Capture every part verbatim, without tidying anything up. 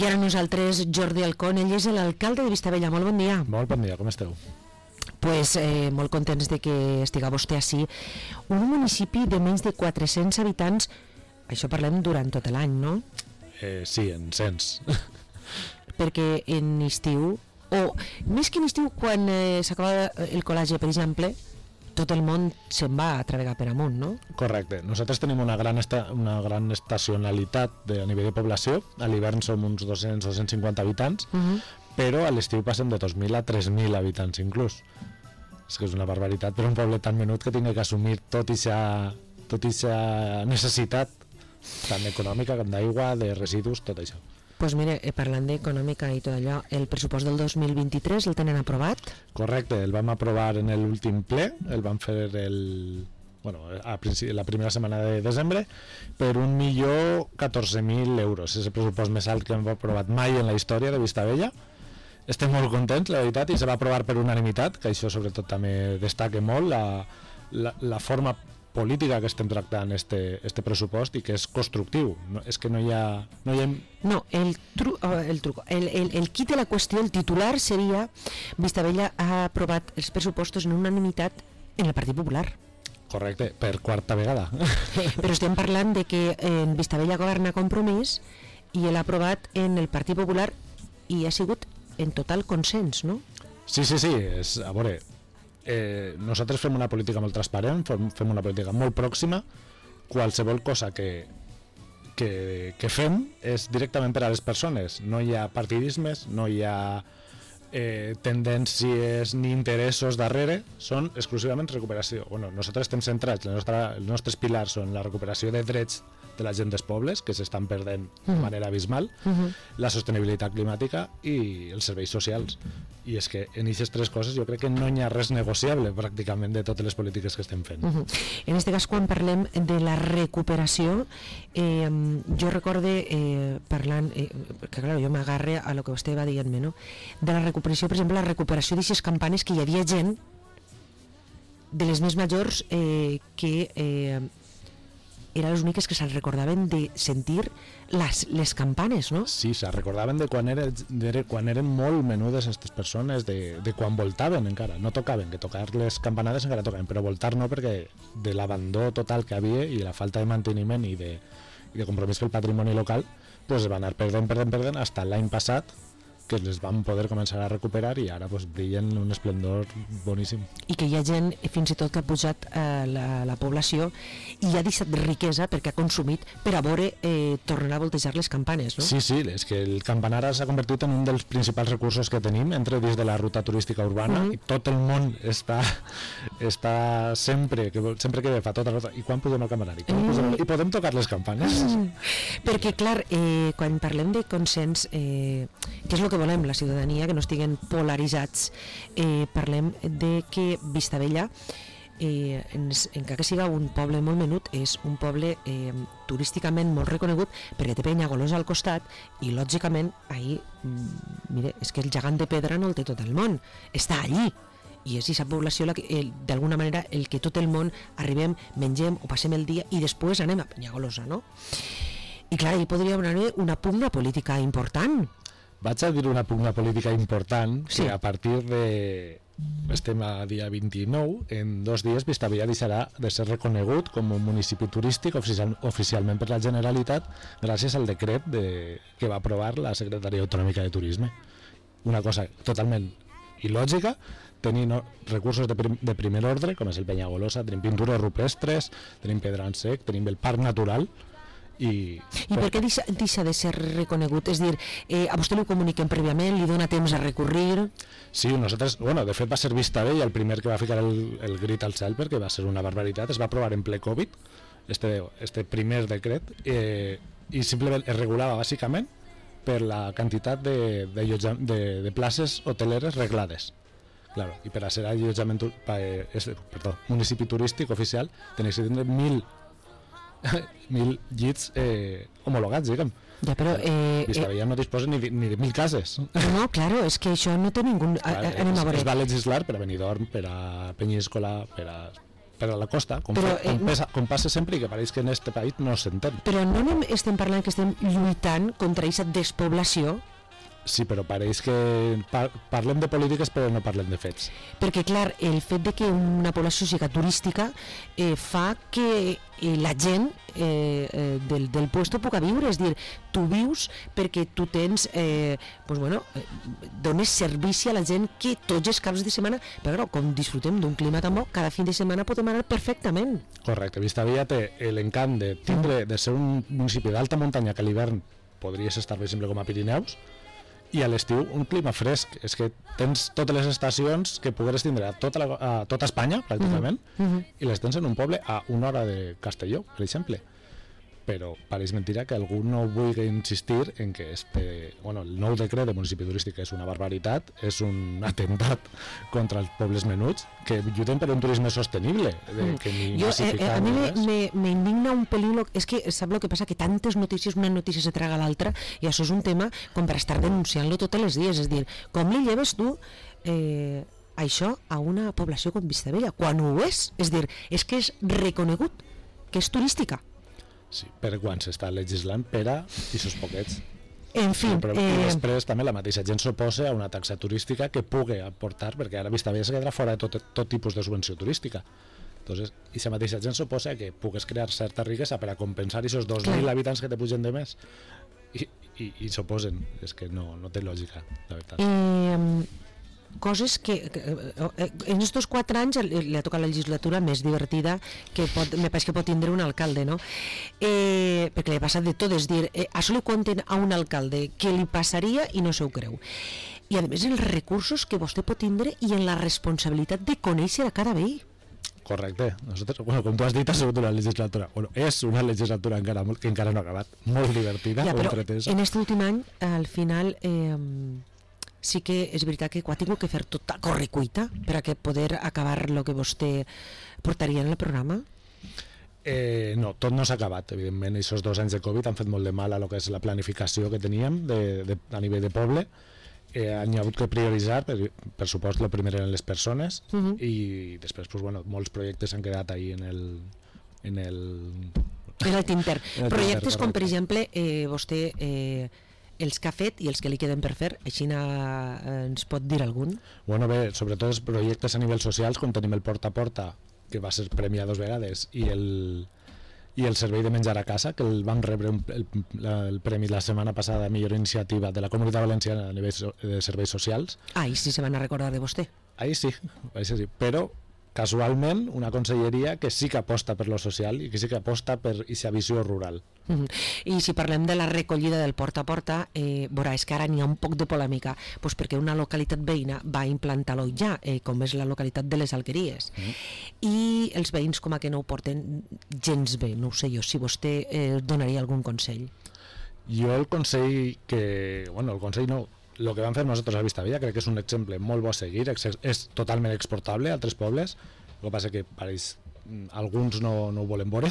I ara nosaltres, Jordi Alcón, ell és l'alcalde de Vistabella. Molt bon dia. Molt bon dia, com esteu? Pues eh, molt contents de que estiga vostè així. Un municipi de menys de quatre-cents habitants, això parlem durant tot l'any, no? Eh, sí, en cens. Perquè en estiu, o més que en estiu, quan eh, s'acaba el col·legi, per exemple, tot el món se'n va a travegar per amunt, no? Correcte. Nosaltres tenim una gran, esta, una gran estacionalitat de, a nivell de població. A l'hivern som uns dos-cents o cent cinquanta habitants, uh-huh. però a l'estiu passem de dos mil a tres mil habitants inclús. És que és una barbaritat per un poble tan menut que tingui que assumir tot ixa, tot ixa necessitat tant econòmica com d'aigua, de residus, tot això. Doncs pues mire, eh, parlant d'econòmica i tot allò, el pressupost del dos mil vint-i-tres el tenen aprovat? Correcte, el vam aprovar en l'últim ple, el vam fer el, bueno, a la primera setmana de desembre, per un milió catorze mil euros. És el pressupost més alt que hem aprovat mai en la història de Vistabella. Estem molt contents, la veritat, i se va aprovar per unanimitat, que això sobretot també destaca molt la, la, la forma política que estem tractant este, este pressupost i que és constructiu. No, és que no hi ha... No, hi ha... no el, tru, el truco, el, el, el quid de la qüestió, el titular seria Vistabella ha aprovat els pressupostos en unanimitat en el Partit Popular. Correcte, per quarta vegada. Però estem parlant de que en Vistabella governa Compromís i l'ha aprovat en el Partit Popular i ha sigut en total consens, no? Sí, sí, sí, és, a veure... Eh, nosaltres fem una política molt transparent, fem una política molt pròxima. Qualsevol cosa que, que, que fem és directament per a les persones. No hi ha partidismes, no hi ha eh, tendències ni interessos darrere, són exclusivament recuperació. Bueno, nosaltres estem centrats, els nostres, els nostres pilars són la recuperació de drets de la gent dels pobles, que s'estan perdent de manera abismal, uh-huh. la sostenibilitat climàtica i els serveis socials. I és que en aquestes tres coses jo crec que no hi ha res negociable pràcticament de totes les polítiques que estem fent. Uh-huh. En aquest cas, quan parlem de la recuperació, eh, jo recorde eh, parlant, eh, que clar, jo m'agarre a lo que vostè va dient-me, no? De la recuperació, per exemple, la recuperació d'aquestes campanes que hi havia gent de les més majors eh, que eh, eren les úniques que se'n recordaven de sentir les, les campanes, no? Sí, se'n recordaven de quan, era, de quan eren molt menudes aquestes persones, de, de quan voltaven encara, no tocaven, que tocar les campanades encara tocaven, però voltar no, perquè de l'abandó total que havia i la falta de manteniment i de, i de compromís pel patrimoni local, pues va anar perdent, perdent, perdent, fins l'any passat, que les vam poder començar a recuperar i ara pues, brillen un esplendor boníssim. I que hi ha gent, fins i tot, que ha pujat eh, la, la població i ha deixat riquesa perquè ha consumit per a veure eh, tornar a voltejar les campanes, no? Sí, sí, és que el campanar s'ha convertit en un dels principals recursos que tenim entre dins de la ruta turística urbana, uh-huh. i tot el món està, està sempre, que, sempre que fa tota la ruta, i quan pugem al campanar? I, quan pugem, uh-huh. i podem tocar les campanes? Uh-huh. Perquè, clar, eh, quan parlem de consens, eh, què és el que volem la ciutadania, que no estiguen polaritzats, eh, parlem de que Vistabella, eh, ens, encara que siga un poble molt menut, és un poble eh, turísticament molt reconegut perquè té Penyagolosa al costat i lògicament ahir, mm, mire, és que el gegant de pedra no el té tot el món, està allí i és aquesta població la que, eh, d'alguna manera el que tot el món arribem, mengem o passem el dia i després anem a Penyagolosa, no? I clar, hi podria haver una pugna política important. Vaig a dir una pugna política important, sí. Que a partir de... estem a dia vint-i-nou, en dos dies Vistabella deixarà de ser reconegut com un municipi turístic oficial, oficialment per la Generalitat gràcies al decret de, que va aprovar la Secretaria Autonòmica de Turisme. Una cosa totalment il·lògica, tenir no, recursos de, prim, de primer ordre, com és el Penyagolosa, tenim pintures rupestres, tenim pedran sec, tenim el parc natural. I, I per què deixa, deixa de ser reconegut? És dir, eh, a vostè li comuniquen prèviament, li dona temps a recurrir? Sí, nosaltres, bueno, de fet va ser Vistabella el primer que va ficar el, el grit al cel perquè va ser una barbaritat, es va aprovar en ple Covid este, este primer decret eh, i simplement es regulava bàsicament per la quantitat de, de, de, de places hoteleres reglades. Claro, i per a ser allotjament eh, perdó, municipi turístic oficial tenies que tindre mil mil llits eh, homologats, diguem. Ja, però... Eh, Vistabella eh, no disposa ni de, ni de mil cases. No, claro, és que això no té ningú... Clar, anem a veure. Es va legislar per a Benidorm, per a Penyíscola, per a per a la costa, com, però, fa, com, eh, pesa, com passa sempre i que pareix que en este país no s'entén. Però no anem, estem parlant que estem lluitant contra aquesta despoblació? Sí, però pareix que par parlem de polítiques però no parlem de fets. Perquè, clar, el fet de que una població siga turística eh, fa que eh, la gent eh, eh, del, del puesto puga viure, és dir, tu vius perquè tu tens, eh, pues bueno, eh, dones servici a la gent que tots els caps de setmana, però com disfrutem d'un clima tan bo, cada fin de setmana podem anar perfectament. Correcte, Vistabella té l'encant de tindre, de ser un municipi d'alta muntanya que a l'hivern podries estar, per exemple, com a Pirineus, i a l'estiu un clima fresc. És que tens totes les estacions que pogueres tindre a tota, la, a tota Espanya, pràcticament, uh -huh. i les tens en un poble a una hora de Castelló, per exemple. Però pareix mentira que algú no vulgui insistir en que este, bueno, el nou decret de municipi turístic és una barbaritat, és un atemptat contra els pobles menuts, que lluiten per un turisme sostenible, de, que ni jo, massificar eh, a mi res. me, me indigna un pelín, és que sap el que passa, que tantes notícies, una notícia se traga l'altra, i això és un tema com per estar denunciant-lo tots els dies, és dir, com li lleves tu eh, això a una població com Vistabella, quan ho és? És dir, és que és reconegut que és turística. Sí, per quan s'està legislant per a aquests poquets. En fi, però, eh... I després també la mateixa gent s'oposa a una taxa turística que pugui aportar, perquè ara Vistabella es quedarà fora de tot, tot tipus de subvenció turística. Entonces, i la mateixa gent s'oposa a que pugues crear certa riquesa per a compensar aquests dos mil habitants que te pugen de més. I, i, i s'oposen. És que no, no té lògica, la veritat. Eh... coses que, que en estos quatre anys li ha tocat la legislatura més divertida que pot, me pareix que pot tindre un alcalde, no? Eh, perquè li ha passat de tot, és dir, eh, això li conten a un alcalde que li passaria i no se ho creu. I a més els recursos que vostè pot tindre i en la responsabilitat de conèixer a cada veí. Correcte. Nosotros, bueno, com tu has dit, ha sigut una legislatura, bueno, és una legislatura encara, que encara no ha acabat, molt divertida, ja, però entretesa. En aquest últim any, al final... Eh, sí que és veritat que ho ha tingut que fer tot a correcuita per a que poder acabar el que vostè portaria en el programa? Eh, no, tot no s'ha acabat, evidentment. Aquests dos anys de Covid han fet molt de mal a lo que és la planificació que teníem de, de, a nivell de poble. Eh, han hagut que prioritzar, per, per supost, el primer eren les persones, uh -huh. i després, pues, bueno, molts projectes han quedat ahí en el... En el, en el tinter. En el Projectes tinter, com, per exemple, eh, vostè... Eh, els que ha fet i els que li queden per fer, així eh, ens pot dir algun? Bueno, bé, sobretot els projectes a nivell socials, com tenim el Porta a Porta, que va ser premiat dos vegades, i el, i el servei de menjar a casa, que el vam rebre un, el, la, el premi la setmana passada a millor iniciativa de la Comunitat Valenciana a nivell de serveis socials. Ah, i sí se van a recordar de vostè. Ahí sí, ahí sí, però casualment una conselleria que sí que aposta per lo social i que sí que aposta per aquesta visió rural. Uh -huh. I si parlem de la recollida del porta a porta, eh, veurà, és que ara n'hi ha un poc de polèmica, pues perquè una localitat veïna va implantar-lo ja, eh, com és la localitat de les Alqueries, uh -huh. i els veïns com a que no ho porten gens bé, no ho sé jo, si vostè eh, donaria algun consell. Jo el consell que... Bueno, el consell no... El que vam fer nosaltres a Vistabella crec que és un exemple molt bo a seguir, és, és totalment exportable a altres pobles, el que passa que pareix, alguns no, no ho volen veure.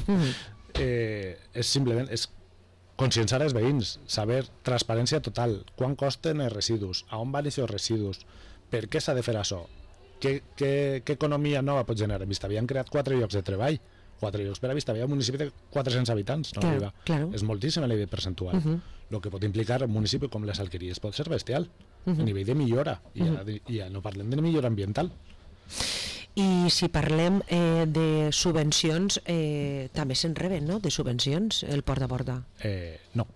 Mm. eh, és simplement és conscienciar els veïns, saber transparència total, quan costen els residus, a on van aquests residus, per què s'ha de fer això, què, què, què economia nova pot generar. En Vistabella han creat quatre llocs de treball, quatre llocs per a Vistabella, un municipi de quatre-cents habitants, no claro, claro. És moltíssim a nivell percentual. Uh -huh. El que pot implicar un municipi com les Alqueries pot ser bestial, uh -huh. a nivell de millora, i, uh -huh. ja, ja no parlem de millora ambiental. I si parlem eh, de subvencions, eh, també se'n reben, no?, de subvencions, el porta a porta? Eh, no.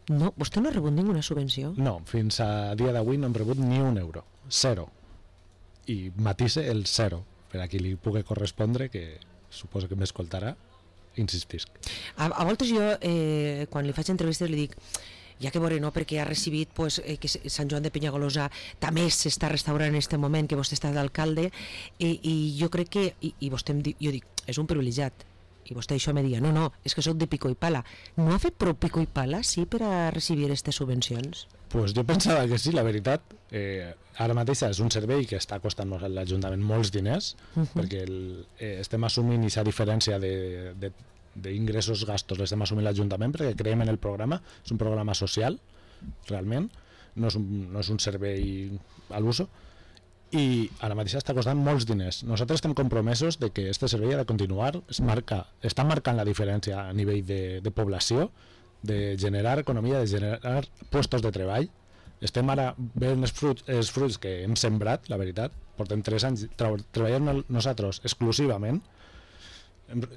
No? Vostè no ha rebut ninguna subvenció? No, fins a dia d'avui no hem rebut ni un euro, zero. I matisse el zero, per a qui li pugui correspondre, que suposo que m'escoltarà, insistisc. A, a voltes jo, eh, quan li faig entrevistes, li dic, ja que veure, no, perquè ha recibit pues, eh, que Sant Joan de Penyagolosa també s'està restaurant en aquest moment, que vostè està d'alcalde, i, i jo crec que, i, i vostè em diu, jo dic, és un privilegiat, i vostè això me dia, no, no, és que soc de pico i pala. No ha fet prou pico i pala, sí, per a recibir aquestes subvencions? Pues jo pensava que sí, la veritat. Eh, ara mateix és un servei que està costant a l'Ajuntament molts diners, uh -huh. perquè el, eh, estem assumint aquesta diferència de, de, d'ingressos, gastos, l'estem assumint l'Ajuntament perquè creiem en el programa, és un programa social, realment, no és un, no és un servei a l'uso, i ara mateix està costant molts diners. Nosaltres estem compromesos de que este servei ha de continuar, es marca, està marcant la diferència a nivell de, de població, de generar economia, de generar puestos de treball. Estem ara veient els fruits, els fruits que hem sembrat, la veritat. Portem tres anys treballant nosaltres exclusivament,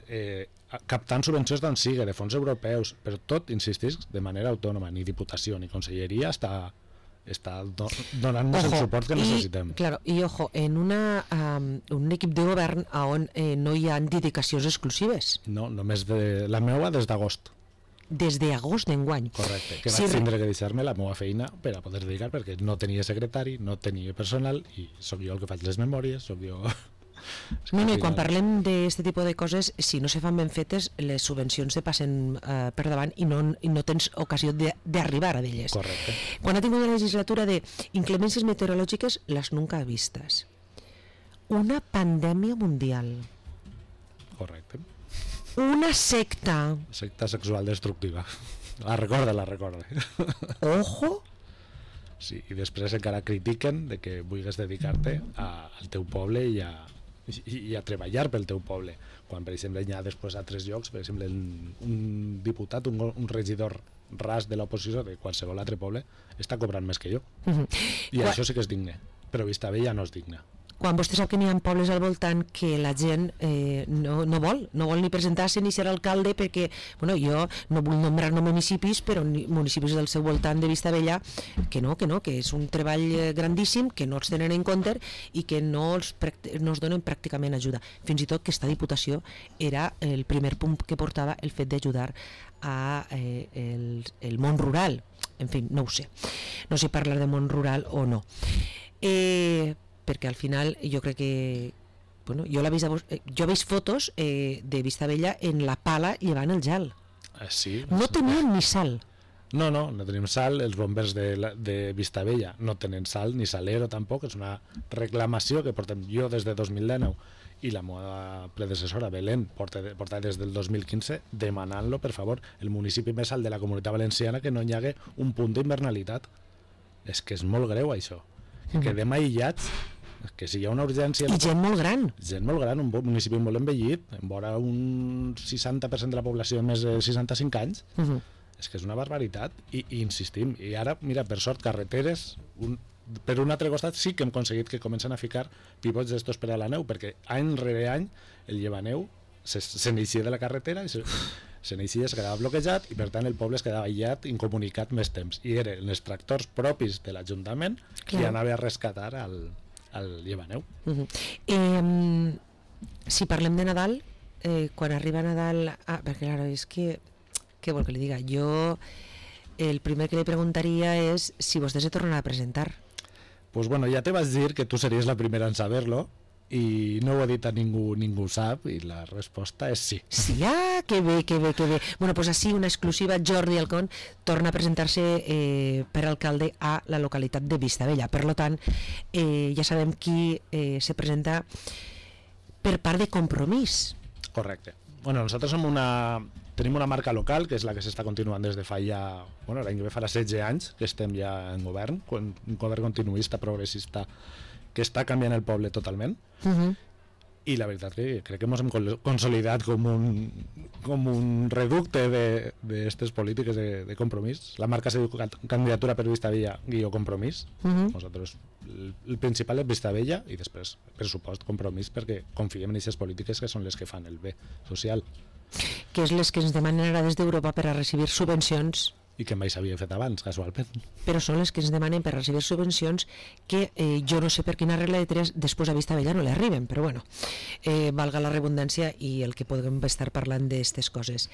eh, captant subvencions d'on sigui, de fons europeus, però tot, insistis, de manera autònoma, ni diputació ni conselleria està està do, donant-nos el suport que necessitem. I, claro, i ojo, en una, um, un equip de govern on eh, no hi ha dedicacions exclusives. No, només de, la meva des d'agost. Des d'agost d'enguany. Correcte, que si vaig tindre que deixar-me la meva feina per a poder dedicar, perquè no tenia secretari, no tenia personal, i sóc jo el que faig les memòries, sóc jo... No, no, i quan parlem d'aquest tipus de coses, si no se fan ben fetes, les subvencions se passen eh, per davant i no, i no tens ocasió d'arribar a d'elles. Correcte. Quan ha tingut una legislatura de inclemències meteorològiques, les nunca vistes. Una pandèmia mundial. Correcte. Una secta. Secta sexual destructiva. La recorda, la recorda. Ojo. Sí, i després encara critiquen de que vulguis dedicar-te al teu poble i a, i, i a treballar pel teu poble, quan per exemple hi ha després a altres llocs, per exemple un diputat, un, un regidor ras de l'oposició de qualsevol altre poble està cobrant més que jo. Uh-huh. I Qua... això sí que és digne, però Vistabella no és digne. Quan vostè sap que n'hi ha pobles al voltant que la gent eh, no, no vol, no vol ni presentar-se ni ser alcalde, perquè, bueno, jo no vull nombrar no municipis, però municipis del seu voltant de Vistabella, que no, que no, que és un treball grandíssim, que no els tenen en compte i que no els, no els donen pràcticament ajuda. Fins i tot que esta diputació era el primer punt que portava el fet d'ajudar a eh, el, el món rural. En fi, no ho sé. No sé parlar de món rural o no. Eh... perquè al final jo crec que bueno, jo, la vist, jo he vist fotos eh, de Vistabella en la pala llevant el gel. Ah, sí? No tenien ni sal. No, no, no tenim sal, els bombers de, la, de Vistabella no tenen sal, ni salero tampoc, és una reclamació que portem jo des de dos mil dinou i la meva predecessora Belén porta, porta des del dos mil quinze demanant-lo, per favor, el municipi més alt de la Comunitat Valenciana, que no hi hagi un punt d'invernalitat. És que és molt greu això, que quedem aïllats, que si hi ha una urgència... I gent molt gran. Gent molt gran, un municipi molt envellit, en vora un seixanta per cent de la població de més de seixanta-cinc anys, uh -huh. és que és una barbaritat, I, i insistim, i ara, mira, per sort, carreteres, un, per un altre costat sí que hem aconseguit que comencen a ficar pivots d'estos per a la neu, perquè any rere any el llevaneu se, se n'eixia de la carretera i se, se n'eixia, es quedava bloquejat i per tant el poble es quedava aïllat, incomunicat més temps, i eren els tractors propis de l'Ajuntament que anava a rescatar al al llevaneu. Uh-huh. eh, si parlem de Nadal, eh, quan arriba Nadal, ah, perquè claro, és que què vol que li diga, jo el primer que li preguntaria és si vostè se tornarà a presentar. Pues bueno, ja te vas dir que tu series la primera en saber-lo i no ho ha dit a ningú, ningú sap, i la resposta és sí. Sí, ah, que bé, que bé, que bé. Bueno, pues així una exclusiva, Jordi Alcón torna a presentar-se eh, per alcalde a la localitat de Vistabella. Per lo tant, eh, ja sabem qui eh, se presenta per part de Compromís. Correcte. Bueno, nosaltres som una... tenim una marca local, que és la que s'està continuant des de fa ja... Bueno, l'any que ve farà setze anys que estem ja en govern, un govern continuista, progressista, que està canviant el poble totalment. Uh-huh. I la veritat que crec que ens hem consolidat com un, com un reducte d'aquestes polítiques de, de compromís. La marca se diu Candidatura per Vistabella guió Compromís. Uh-huh. Nosaltres, el, el principal és Vistabella i després, per supost, Compromís, perquè confiem en aquestes polítiques que són les que fan el bé social. Que és les que ens demanen ara des d'Europa per a recibir subvencions. I que mai s'havia fet abans, casualment. Però són les que ens demanen per recibir subvencions que eh, jo no sé per quina regla de tres després a Vistabella no li arriben, però bueno, eh, valga la redundància i el que podem estar parlant d'aquestes coses.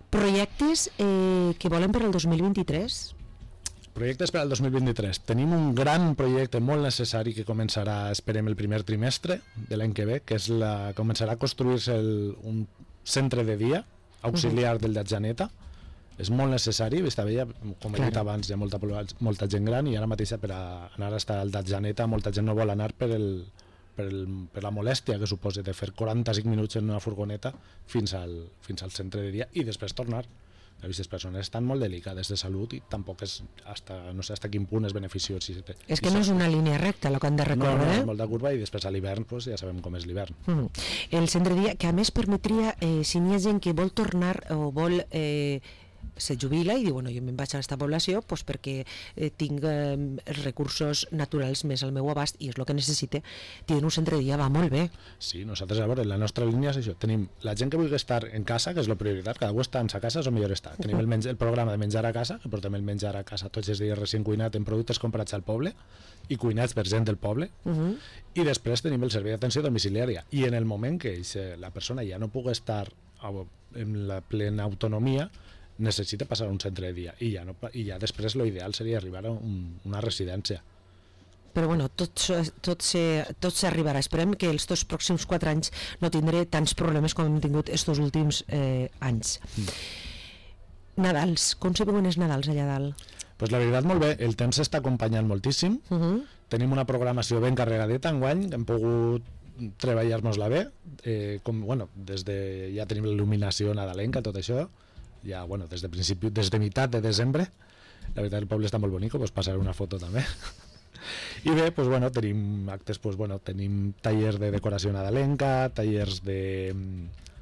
Projectes eh, que volen per al dos mil vint-i-tres? Projectes per al dos mil vint-i-tres. Tenim un gran projecte molt necessari que començarà, esperem, el primer trimestre de l'any que ve, que és la, començarà a construir-se el, un centre de dia auxiliar uh-huh. del Datjaneta. És molt necessari, Vistabella, com he dit claro. abans, hi ha molta, molta gent gran i ara mateix per a anar a estar al Datjaneta molta gent no vol anar per, el, per, el, per la molèstia que suposa de fer quaranta-cinc minuts en una furgoneta fins al, fins al centre de dia i després tornar. Aquestes persones estan molt delicades de salut i tampoc és, hasta, no sé hasta quin punt és beneficiós. Si te, és que no és una línia recta el que han de recórrer. No, no, eh? és molt de curva i després a l'hivern pues, ja sabem com és l'hivern. Mm. El centre dia, que a més permetria, eh, si n'hi ha gent que vol tornar o vol... Eh, se jubila i diu, bueno, jo me'n vaig a aquesta població pues, perquè eh, tinc eh, els recursos naturals més al meu abast i és el que necessite. Tenen un centre de dia, va molt bé. Sí, nosaltres, a veure, la nostra línia és això. Tenim la gent que vulgui estar en casa, que és la prioritat, cada un està en sa casa, és el millor estar. Tenim el, menja, el programa de menjar a casa, que portem el menjar a casa tots els dies recient cuinat en productes comprats al poble i cuinats per gent del poble. Uh -huh. I després tenim el servei d'atenció domiciliària. I en el moment que la persona ja no pugui estar en la plena autonomia, necessita passar a un centre de dia i ja, no, i ja després l'ideal seria arribar a un, una residència. Però bueno, tot, tot, se, tot s'arribarà. Esperem que els dos pròxims quatre anys no tindré tants problemes com hem tingut estos últims eh, anys. Mm. Nadals, com se veuen els Nadals allà dalt? Pues la veritat molt bé, el temps s'està acompanyant moltíssim. Uh -huh. Tenim una programació ben carregadeta enguany, hem pogut treballar-nos-la bé, eh, com, bueno, des de, ja tenim l'il·luminació nadalenca, tot això, ja, bueno, des de principi, des de meitat de desembre. La veritat el poble està molt bonic, pues passaré una foto també. I bé, pues bueno, tenim actes, pues bueno, tenim tallers de decoració nadalenca, tallers de...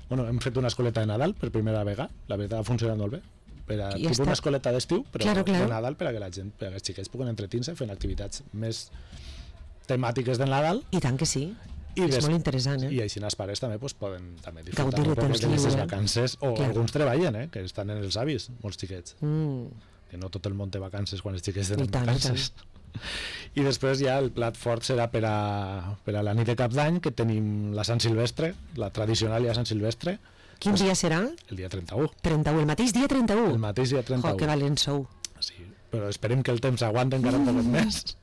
Bueno, hem fet una escoleta de Nadal per primera vegada, la veritat ha funcionat molt bé. Per a, ja una escoleta d'estiu, però claro, claro. de Nadal per a que la gent, per a que els xiquets puguen entretenir-se fent activitats més temàtiques de Nadal. I tant que sí. I és des... molt interessant, eh? I així els pares també pues, poden també disfrutar Gaudir un poc de les vacances, o claro. alguns treballen, eh? Que estan en els avis, molts xiquets. Mm. Que no tot el món té vacances quan els xiquets tenen tant, vacances. I, I després ja el plat fort serà per a, per a la nit de Cap d'Any, que tenim la Sant Silvestre, la tradicional ja Sant Silvestre. Quin pues, dia serà? El dia trenta-u. trenta-u, el mateix dia trenta-u? El mateix dia trenta-u. Jo, que valents sou. Sí, però esperem que el temps aguanti encara un poc més.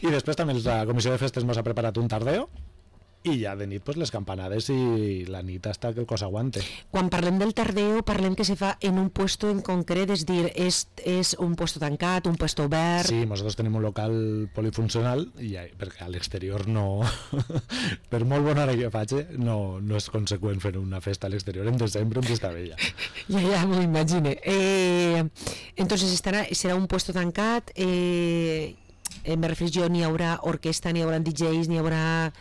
I després també la Comissió de Festes ens ha preparat un tardeo, i ja de nit pues, les campanades i la nit hasta que el cos aguante. Quan parlem del tardeo, parlem que se fa en un puesto en concret, és dir, és, és un puesto tancat, un puesto obert... Sí, nosaltres tenim un local polifuncional, i ja, perquè a l'exterior no... per molt bona hora que faci, no, no és conseqüent fer una festa a l'exterior en desembre en Vistabella. Ja, ja, m'ho imagine. Eh, entonces estarà, serà un puesto tancat, eh, eh, me refereix jo, n'hi haurà orquestra, n'hi haurà D Js, n'hi haurà...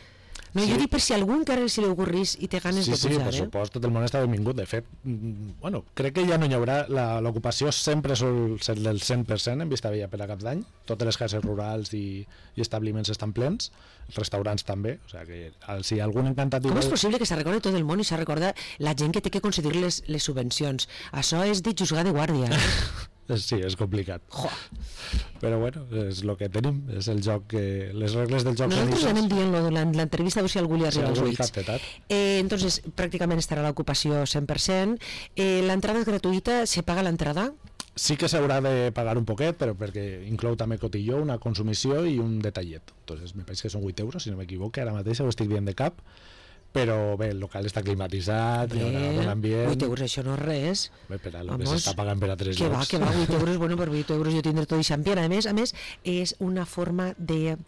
No, sí. Jo dic per si algú encara se li ocorrís i té ganes sí, de pujar, sí, eh? per supost, tot el món està benvingut. De fet, bueno, crec que ja no hi haurà... L'ocupació sempre sol ser del cent per cent en Vistabella per a Cap d'Any. Totes les cases rurals i, i establiments estan plens, els restaurants també. O sigui que si algú encantat... Com és possible que se recorda tot el món i se recorda la gent que té que concedir les, les subvencions? Això és de juzgar de guàrdia. Sí, és complicat. Jo. Però bueno, és el que tenim, és el joc que... les regles del joc. Nosaltres anem dient-lo durant l'entrevista, a veure si algú li arriba sí, als ulls. Eh, entonces, pràcticament estarà l'ocupació cent per cent. Eh, l'entrada és gratuïta, se paga l'entrada? Sí que s'haurà de pagar un poquet, però perquè inclou també cotilló, una consumició i un detallet. Entonces, me pareix que són vuit euros, si no m'equivoco, ara mateix ho estic dient de cap. Però bé, el local està climatitzat, hi haurà bon ambient... vuit euros, això no és res. Bé, per a lo que s'està pagant per a tres que llocs. Que va, que va, vuit euros, bueno, per vuit euros jo tindré tot i xampió. A més, a més, és una forma de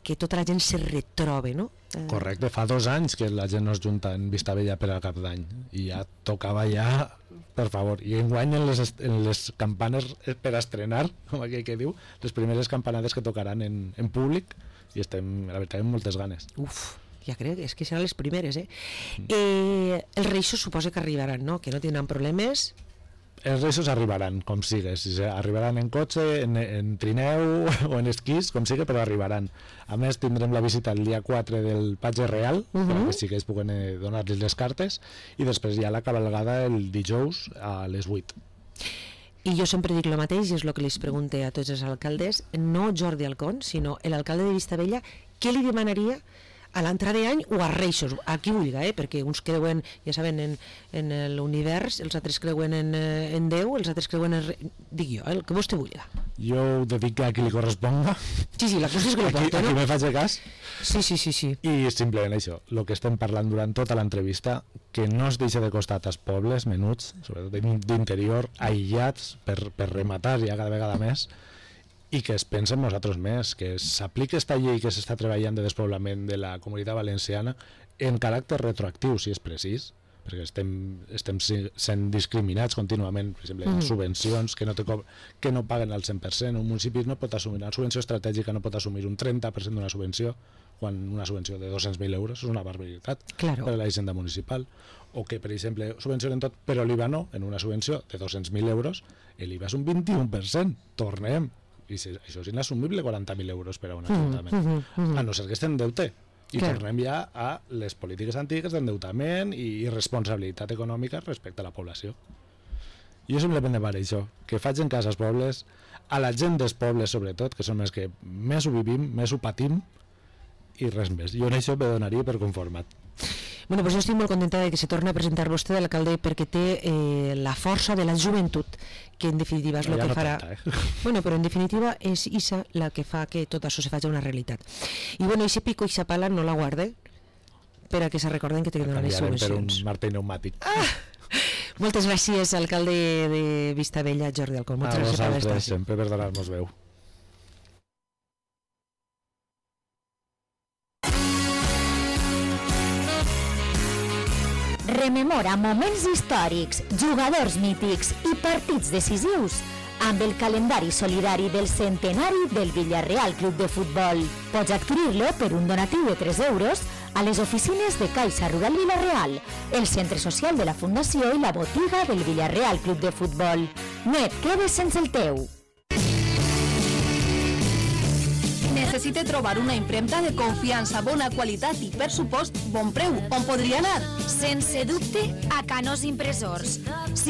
que tota la gent se retrobe, no? Correcte, fa dos anys que la gent no es junta en Vistabella per a Cap d'Any i ja tocava ja, per favor, i enguany en les, en les campanes per estrenar, com aquell que diu, les primeres campanades que tocaran en, en públic, i estem, la veritat, amb moltes ganes. Uf, ja crec, és que seran les primeres, eh? eh els reixos suposa que arribaran, no? Que no tindran problemes. Els reixos arribaran, com sigues, arribaran en cotxe, en, en trineu o en esquís, com sigui, però arribaran. A més, tindrem la visita el dia quatre del Patge Real, uh -huh. perquè sí que es puguen donar-los les cartes, i després hi ha la cabalgada el dijous a les vuit. I jo sempre dic el mateix, i és el que li pregunté a tots els alcaldes, no Jordi Alcón, sinó l'alcalde de Vistabella, què li demanaria a l'entrada d'any o a Reixos, a qui vulga, eh? Perquè uns creuen, ja saben, en, en l'univers, els altres creuen en, en Déu, els altres creuen en... Dic jo, el que vostè vulga. Jo ho dedico a qui li corresponga. Sí, sí, la cosa és que lo porta, no? Aquí me faig cas. Sí, sí, sí, sí. I simplement això, el que estem parlant durant tota l'entrevista, que no es deixa de costat als pobles menuts, sobretot d'interior, aïllats, per, per rematar ja cada vegada més, i que es pensa en nosaltres més, que s'apliqui aquesta llei que s'està treballant de despoblament de la Comunitat Valenciana en caràcter retroactiu, si és precís, perquè estem, estem sent discriminats contínuament, per exemple, mm. subvencions que no, te que no paguen al cent per cent. Un municipi no pot assumir una subvenció estratègica, no pot assumir un trenta per cent d'una subvenció, quan una subvenció de dos-cents mil euros és una barbaritat claro. per a la hisenda municipal. O que, per exemple, subvencionen tot, però l'I V A no, en una subvenció de dos-cents mil euros, l'I V A és un vint-i-u per cent. Tornem. I si, això és inassumible, quaranta mil euros per a un ajuntament. Mm, mm, mm. A no ser que estem en deute. I clar. Tornem ja a les polítiques antigues d'endeutament i responsabilitat econòmica respecte a la població. I jo simplement per això, que faig en cas als pobles, a la gent dels pobles sobretot, que són els que més ho vivim, més ho patim, i res més. Jo en això me donaria per conformat. Bueno, pues jo estic molt contenta de que se torni a presentar vostè de l'alcalde perquè té eh, la força de la joventut, que en definitiva és el no, que no farà... Tanta, eh? Bueno, però en definitiva és Isa la que fa que tot això se faci una realitat. I bueno, ese pico i esa pala no la guarde per a que se recorden que té que donar les subvencions. Per un martell pneumàtic. Ah! Moltes gràcies, alcalde de Vistabella, Jordi Alcón. Moltes a gràcies per vosaltres, sempre per donar-nos veu. Rememora moments històrics, jugadors mítics i partits decisius amb el calendari solidari del centenari del Villarreal Club de Futbol. Pots adquirir-lo per un donatiu de tres euros a les oficines de Caixa Rural Villarreal, el centre social de la Fundació i la botiga del Villarreal Club de Futbol. No et quedes sense el teu. Necessite trobar una impremta de confiança, bona qualitat i per supost bon preu. On podria anar? Sense dubte, a Canós Impressors. Si